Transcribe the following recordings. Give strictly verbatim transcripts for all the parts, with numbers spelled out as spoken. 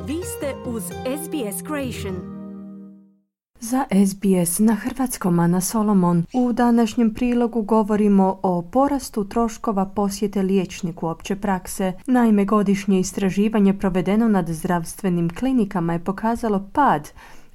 Vi ste uz S B S Creation. Za S B S na hrvatskom Ana Solomon. U današnjem prilogu govorimo o porastu troškova posjete liječniku opće prakse. Naime, godišnje istraživanje provedeno nad zdravstvenim klinikama je pokazalo pad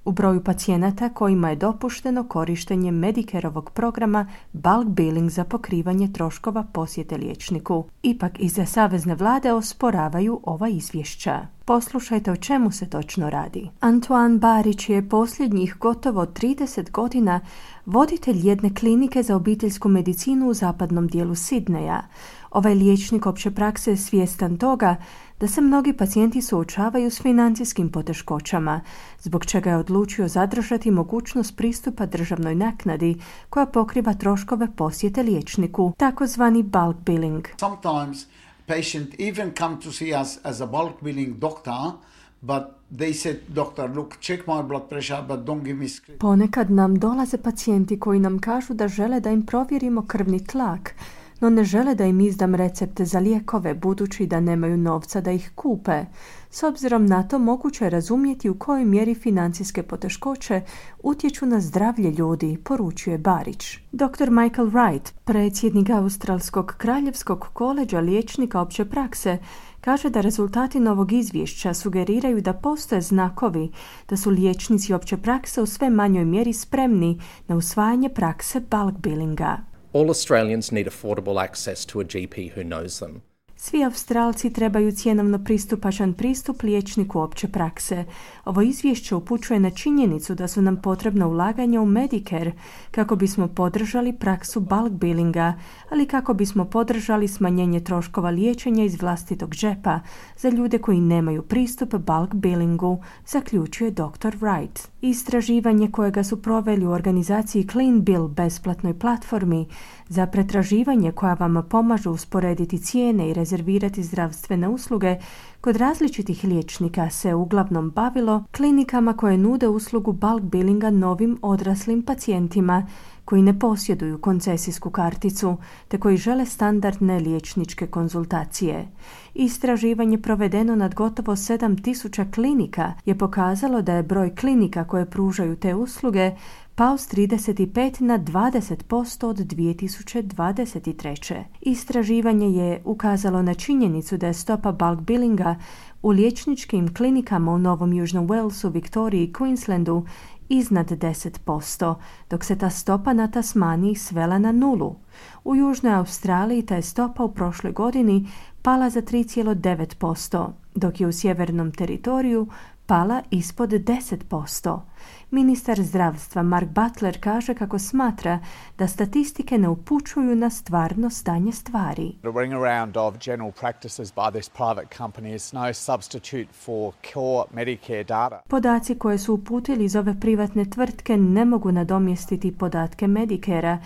u broju pacijenata kojima je dopušteno korištenje Medicareovog programa bulk billing za pokrivanje troškova posjete liječniku. Ipak iza savezne vlade osporavaju ova izvješća. Poslušajte o čemu se točno radi. Antoine Barić je posljednjih gotovo trideset godina voditelj jedne klinike za obiteljsku medicinu u zapadnom dijelu Sidneja. Ovaj liječnik opće prakse je svjestan toga da se mnogi pacijenti suočavaju s financijskim poteškoćama, zbog čega je odlučio zadržati mogućnost pristupa državnoj naknadi koja pokriva troškove posjete liječniku, takozvani bulk billing. Sometimes patient even come to see us as a bulk billing doctor, but they said, doctor, look, check my blood pressure, but don't give me script. Ponekad nam dolaze pacijenti koji nam kažu da žele da im provjerimo krvni tlak, no ne žele da im izdam recepte za lijekove, budući da nemaju novca da ih kupe. S obzirom na to, moguće je razumjeti u kojoj mjeri financijske poteškoće utječu na zdravlje ljudi, poručuje Barić. doktor Michael Wright, predsjednik Australskog kraljevskog koleđa liječnika opće prakse, kaže da rezultati novog izvješća sugeriraju da postoje znakovi da su liječnici opće prakse u sve manjoj mjeri spremni na usvajanje prakse bulk billinga. All Australians need affordable access to a G P who knows them. Svi Australci trebaju cjenovno pristupačan pristup liječniku opće prakse. Ovo izvješće upućuje na činjenicu da su nam potrebna ulaganja u Medicare kako bismo podržali praksu bulk billinga, ali kako bismo podržali smanjenje troškova liječenja iz vlastitog džepa za ljude koji nemaju pristup bulk billingu, zaključuje doktor Wright. Istraživanje kojega su proveli u organizaciji Clean Bill besplatnoj platformi za pretraživanje koja vam pomažu usporediti cijene i rezervirati zdravstvene usluge kod različitih liječnika se uglavnom bavilo klinikama koje nude uslugu bulk billinga novim odraslim pacijentima koji ne posjeduju koncesijsku karticu te koji žele standardne liječničke konzultacije. Istraživanje provedeno nad gotovo sedam tisuća klinika je pokazalo da je broj klinika koje pružaju te usluge pao s trideset pet na dvadeset posto od dvije tisuće dvadeset treće. Istraživanje je ukazalo na činjenicu da je stopa bulk billinga u liječničkim klinikama u Novom Južnom Walesu, Viktoriji i Queenslandu iznad deset posto, dok se ta stopa na Tasmaniji svela na nulu. U Južnoj Australiji ta je stopa u prošloj godini pala za tri zarez devet posto, dok je u Sjevernom teritoriju pala ispod deset posto. Ministar zdravstva Mark Butler kaže kako smatra da statistike ne upućuju na stvarno stanje stvari. The ring around of general practices by this private company is no substitute for core Medicare data. Podaci koje su uputili iz ove privatne tvrtke ne mogu nadomjestiti podatke Medicarea,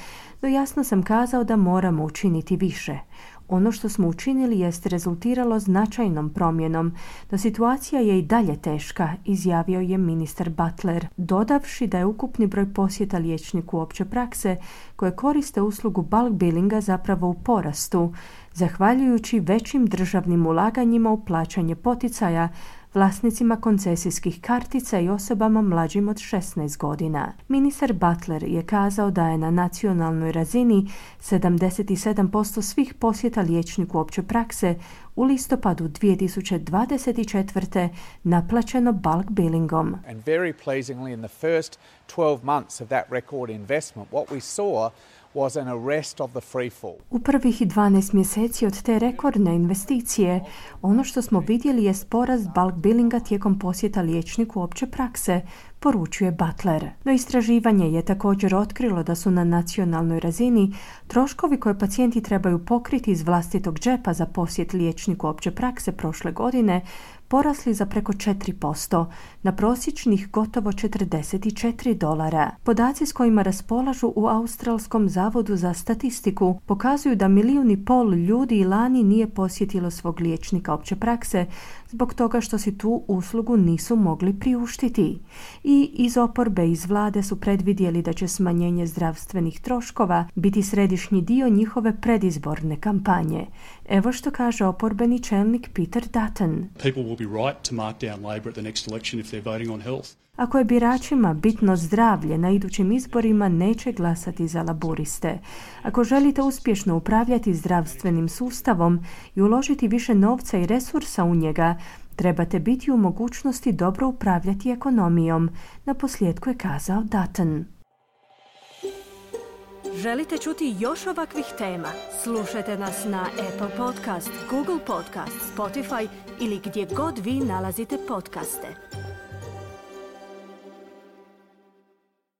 no jasno sam kazao da moramo učiniti više. Ono što smo učinili jest rezultiralo značajnom promjenom, no situacija je i dalje teška, izjavio je ministar Butler, dodavši da je ukupni broj posjeta liječniku opće prakse koje koriste uslugu bulk billinga zapravo u porastu, zahvaljujući većim državnim ulaganjima u plaćanje poticaja vlasnicima koncesijskih kartica i osobama mlađim od šesnaest godina. Ministar Butler je kazao da je na nacionalnoj razini sedamdeset sedam posto svih posjeta liječniku opće prakse u listopadu dvije tisuće dvadeset četvrte naplaćeno bulk billingom. And very pleasingly in the first twelve months of that record investment, what we saw was an arrest of the free fall. U prvih dvanaest mjeseci od te rekordne investicije, ono što smo vidjeli jest porast bulk billinga tijekom posjeta liječniku opće prakse, poručuje Butler. No istraživanje je također otkrilo da su na nacionalnoj razini troškovi koje pacijenti trebaju pokriti iz vlastitog džepa za posjet liječniku opće prakse prošle godine porasli za preko četiri posto, na prosječnih gotovo četrdeset četiri dolara. Podaci s kojima raspolažu u Australskom zavodu za statistiku pokazuju da milijun i pol ljudi lani nije posjetilo svog liječnika opće prakse zbog toga što si tu uslugu nisu mogli priuštiti. I iz oporbe iz vlade su predvidjeli da će smanjenje zdravstvenih troškova biti središnji dio njihove predizborne kampanje. Evo što kaže oporbeni čelnik Peter Dutton. People will will be right to mark down Labor at the next election if they're voting on health. Ako je biračima bitno zdravlje, na idućim izborima neće glasati za laburiste. Ako želite uspješno upravljati zdravstvenim sustavom i uložiti više novca i resursa u njega, trebate biti u mogućnosti dobro upravljati ekonomijom, naposljetku je kazao Dutton. Želite čuti još ovakvih tema? Slušajte nas na Apple Podcast, Google Podcast, Spotify ili gdje god vi nalazite podcaste.